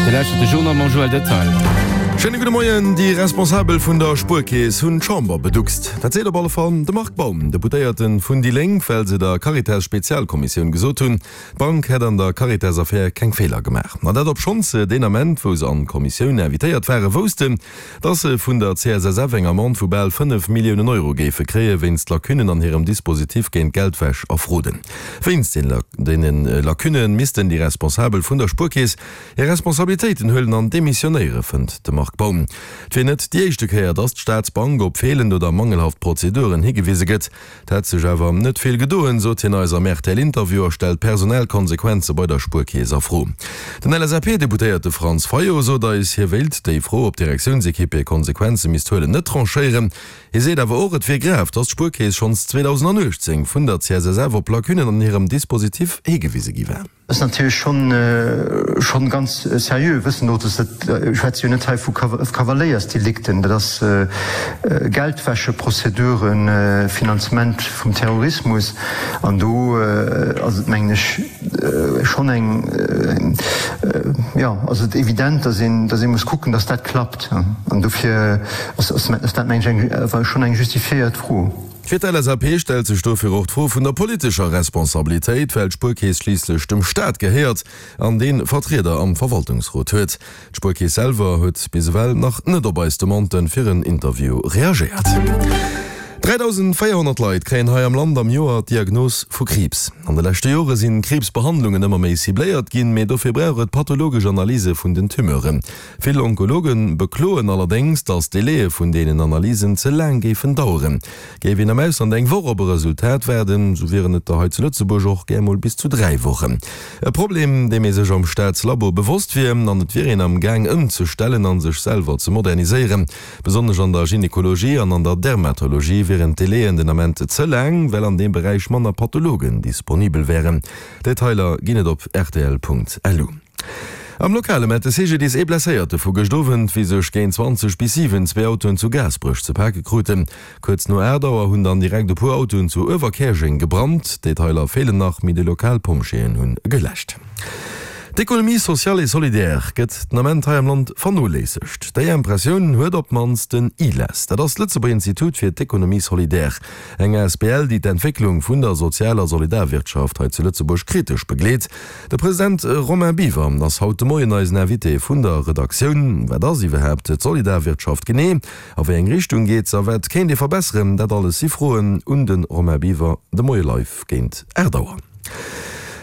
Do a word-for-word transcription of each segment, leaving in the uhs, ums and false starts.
Dir lauschtert de Journal mam Joël Detail. Schéine gudde Moien. Déi Responsabel vun der Spuerkeess hunn d'Chamber beduckst. Dat seet op alle Fall de Marc Baum, Deputéierte vun déi Lénk, well se der Caritas-Spezialkommissioun gesot hunn, d'Bank hätt an der Caritas-Affär keng Feeler gemaach. An dat obschonns se deen Ament, wou se an d'Kommissioun invitéiert ware, woussten, dass se vun der C S S F eng Amende vu bal fënnef Milliounen Euro géife kréie wéinst Lacunnen an hirem Dispositif géint Geldwäsch a Fraude. Wéinst deene Lacunne missten déi Responsabel vun der Spuerkeess hir Responsabilitéiten huelen an demissionéiere, fënnt de Marc Baum. Et wier net déi éischte Kéier, dass d'Staatsbank op feelend oder mangelhaft Prozeduren higewise gëtt. Et hätt sech awer net vill gedoen, sot hien eis am R T L-Interview a stellt personell Konsequenze bei der Spuerkeess a Fro. Den L S A P-Deputéierte Franz Fayot sot eis, hie wéilt déi Fro, ob d'Direktiounsekipp hir Konsequenze misst huelen, net tranchéieren. Hie seet awer och, et wier grav, dass d'Spuerkeess schonns zweedausendauechtzéng vun der C S S F op Lacunnen an hirem Dispositif higewise gi war. Dat ass natierlech schonn schonn ganz seriö, wëssen och, dass dat, ech schwätze jo net hei vu Kavaléiersdelikten, dat ass Geldwäscheprozeduren, Finanzement vum Terrorismus, an do ass et, mengen ech, schonn eng, jo, ass et evident, dass een, dass ee muss kucken, dass dat klappt, an dofir ass dat, mengen ech, eng schonn eng justifiéiert Fro. Fir d'L S A P stellt sech dofir och d'Fro vun der politescher Responsabilitéit, well d'Spuerkeess schliisslech dem Staat gehéiert an dee Vertrieder am Verwaltungsrot huet. D'Spuerkeess selwer huet bis ewell nach net op eis Demande fir en Interview reagéiert. dräidausendvéierhonnert Leit kréien hei am Land am Joer d'Diagnos vu Kriibs. An de leschte Jore sinn d'Kriibsbehandlungen ëmmer méi cibléiert ginn, mee dofir brauch et pathologesch Analyse vun den Tumeuren. Vill Onkologe bekloen allerdéngs, datt d'Délaië vun deenen Analysen ze laang géifen daueren. Géif een am Ausland eng Woch op e Resultat waarden, sou wieren et der hei zu Lëtzebuerg och gär mol bis zu dräi Wochen. E Problem, deem ee sech am Staatslabo bewosst wier, an et wier een am Gaang ëmzestellen a sech selwer ze moderniséieren. Besonnesch an der Gynekologie an an der Dermatologie wieren d'Délaiën den Ament ze laang, well an deem Beräich manner Pathologen disponibel wären. Detailer ginn et op rtl Punkt lu. Am Lokale mellt de C G D I S ee Blesséierte vu gëscht Owend, wéi sech géint zwanzeg bis siwen zwee Autoen zu Gaasperech ze pake kruten. Kuerz no aacht Auer hunn dann direkt e puer Autoen zu Uewerkäerjeng gebrannt. Detailer feelen nach, mee déi lokal Pompjeeën hunn geläscht. D'Économie sociale et solidaire gëtt den Ament hei am Land vernoléissegt. Déi Impressioun huet op d'mannst den ILES. Dat ass d'Lëtzebuerger Institut fir d'Économie solidaire, eng A S B L, déi d'Entwécklung vun der Sozial a Solidarwirtschaft hei zu Lëtzebuerg kritesch begleet. De President Romain Biwer ass haut de Moien eisen Invité vun der Redaktioun. Wat ass iwwerhaapt d'Solidarwirtschaft genee? A wéi eng Richtung geet se a wat kéint ee verbesseren? Dat alles si Froen un de Romain Biwer de Moie live géint aacht Auer.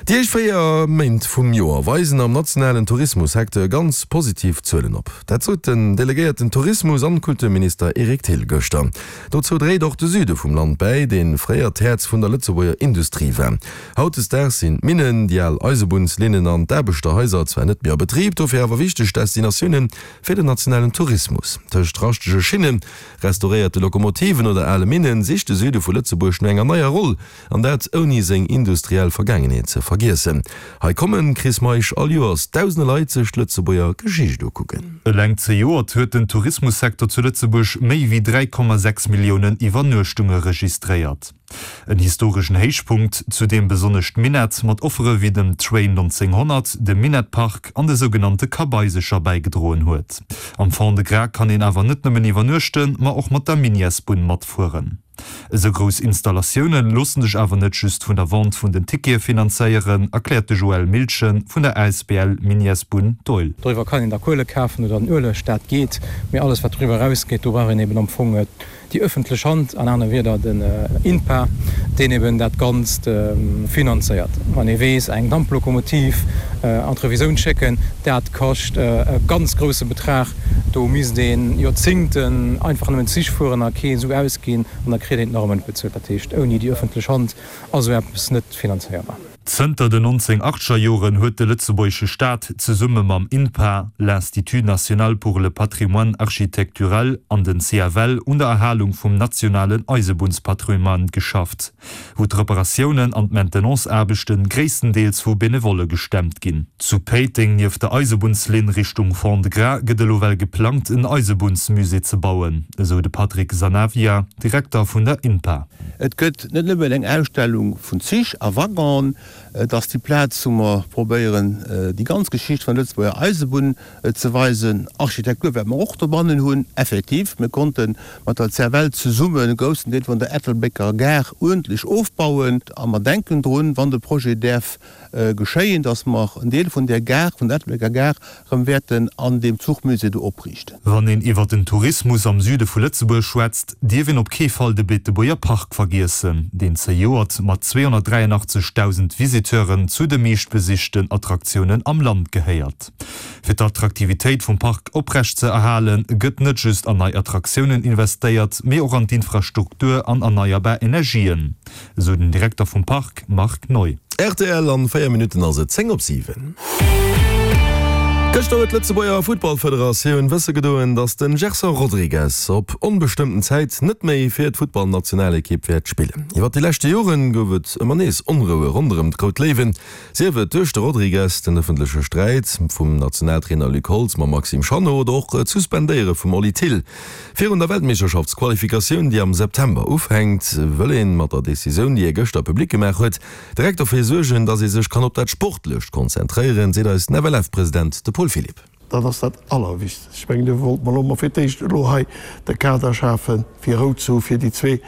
Déi éischt véier Méint vum Joer weisen am nationalen Tourismussecteur ganz positiv Zuelen op. Dat sot den delegéierten Tourismus an Kulturminister Eric Thill gëschter. Dozou dréit och de Süde vum Land bäi, dee fréier d'Häerz vun der Lëtzebuerger Industrie war. Hautdesdaags sinn d'Minnen, déi al Eisebunnslinnen an d'Aarbechterhaiser zwar net méi a Betrib, dofir awer wichteg Destinatioune fir den nationalen Tourismus. Tëscht raschtege Schinnen, restauréierte Lokomotiven oder ale Minnen sicht de Süde vu Lëtzebuerg no enger neier Roll, an dat ouni seng industriell Vergaangenheet ze vergiessen. Hei kommen, Chris Meisch, all Joers dausende Leit sech d'Lëtzebuerger Geschicht ukucken. Eleng zejoert huet den Tourismussecteur zu Lëtzebuerg méi wéi dräi Komma sechs Milliounen Iwwernuechtunge registréiert. En historeschen Héichpunkt, zu deem besonnesch d'Minett mat Offere wéi dem Train nonzénghonnert, dem Minettpark an de sougenannte Kabaisercher bäigedroen huet. Am Fond-de-Gras kann een awer net nëmmen iwwernuechten, ma och mat der Miniessbunn matfueren. Esou grouss Installatioune loosse sech awer net just vun der Vente vun den Tickete finanzéieren, erkläert de Joël Milchen vun der A S B L Miniessbunn Doihl. Doriwwer kann een da Kuele kafen oder den Ueleg, dat geet, mee alles wat doriwwer erausgeet, do brauch een eben am Fong déi ëffentlech Hand, an anere Wierder den INPA, deen eben dat Ganzt finanzéiert. Wann ee weess, eng Damplokomotiv an d'Revisioun schécken, dat kascht e ganz grousse Betrag, do misst ee Joerzéngten einfach nëmmen Zich fueren a kee Su ausginn an da kritt een et nach ëmmer net bezuelt. Dat heescht, ouni déi ëffentlech Hand ass esou eppes net finanzéierbar. Zënter den nonzénghunnertaachteger Joren huet de lëtzebuergesche Staat zesumme mam INPA, l'Institut national pour le patrimoine architectural, an den C F L un der Erhalung vum nationalen Eisebunnspatrimoine geschafft, wou d'Reparatiounen an d'Maintenanceaarbechte gréisstendeels vu Benevolle gestemmt ginn. Zu Péiteng nieft der Eisebunnslinn Richtung Fond-de-Gras gëtt elo well geplangt en Eisebunnsmusée ze bauen, esou de Patrick Sanavia, Direkter vun der INPA. Et gëtt net nëmmen eng Ausstellung vun Zich a Waggonen, Et ass déi Plaz, wou mer probéieren, déi ganz Geschicht vun der Lëtzebuerger Eisebunn ze weisen. Architektur wäerte mer och dobannen hunn. Effektiv, mir konnte mat der CFL zesummen e groussen Deel vun der Ettelbrécker Gare uerdentlech ofbauen. A mer denken drun, wann de Projet däerf geschéien, dass mer en Deel vun där Gare, vun der Ettelbrécker Gare, erëm wäerten an deem Zuchmusée do opriichten. Wann een iwwer den Tourismus am Süde vu Lëtzebuerg schwätzt, dierf een op kee Fall de Beetebuerger Park vergiessen, deen zejoert mat zweehonnertdräienachtzegdausend Visiteuren zu de meeschtbesichten Attraktiounen am Land gehéiert. Fir d'Attraktivitéit vum Park oprecht ze erhalen, gëtt net just an nei Attraktiounen investéiert, mee och an d'Infrastruktur an erneierbar Energien, esou den Direkter vum Park Marc Neu. Rtl, An véier Minutten ass et zéng op siwen. Gëschter huet d'Lëtzebuerger Futtballfederatioun wësse gedoen, datt de Gerson Rodrigues op onbestëmmten Zäit net méi fir d'Futtballnationalekipp wäert spillen. Iwwer déi leschte Jore gouf et ëmmer nees Onroue ronderëm d'Rout Léiwen, sief et duerch de Rodrigues, den ëffentleche Sträit vum Nationaltrainer Luc Holtz mam Maxime Chanot oder och d'Suspendéiere vum Oli Thill. Virun der Weltmeeschterschaftsqualifikatioun, déi am September ufänkt, wëll ee mat der Decisioun, déi ee gëschter public gemaach huet, direkt dofir suergen, datt ee sech kann op dat Sportlecht konzentréieren, seet eisen F L F-President, de Paul Philipp. Dat ass dat Allerwichtegst. Ech mengen, do wollte mer elo mol fir d'éischt elo hei de Kader schafen, fir Rou ze hu fir déi zwee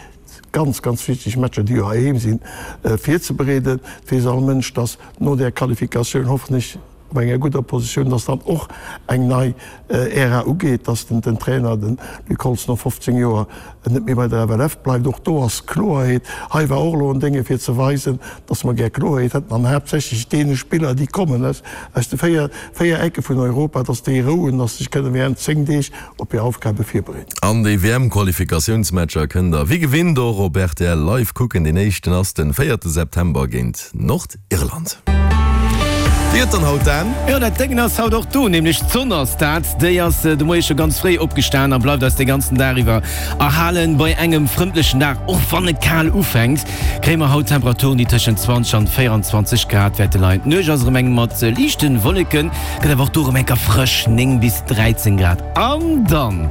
ganz, ganz wichteg Matcher, déi jo heiheem sinn, virzebereeden. Et weess all Mënsch, datt no där Qualifikatioun hoffentlech op enger gudder Positioun, datt dann och eng nei Ära ugeet, datt den Trainer, de Luc Holtz, no fofzéng Joer net méi bei der F L F bleift. Och do ass Kloerheet. Hei war och elo en Dénge fir ze weisen, datt mer gär Kloerheet hätten an haaptsächlech deene Spiller, déi kommen aus aus de véier véier Ecke vun Europa, datt déi Rou hunn, datt se sech kënne während zéng Deeg op hir Aufgabe virbereeden. An déi W M-Qualifikatiounsmatcher kënnt der wéi gewinnt och op R T L live kucken. Deen éischten ass den véierte September géint Nordirland. Wéi gëtt dann haut Dan? Jo, dat Déngen ass haut och do, nämlech d'Sonn ass dat. Déi ass de Moie scho ganz fréi opgestan a bleift eis de ganzen Dag iwwer erhalen. Bei engem frëndlechen Dag, och wann et kal ufänkt, kréie mer haut Temperaturen, déi tëschent zwanzeg an véierundzwanzeg Grad wäerte leien. D'Nuecht ass erëm eng mat liichte Wolleken, gëtt awer och do erëm enker frësch, néng bis dräizéng Grad. An dann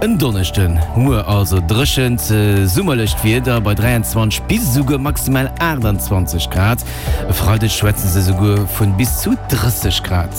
en Donneschden, muer also, dréchent summerlecht Wieder bei dräianzwanzeg bis esouguer maximal aachtanzwanzeg Grad. E Freideg schwätze se esouguer vu bis zu drësseg Grad.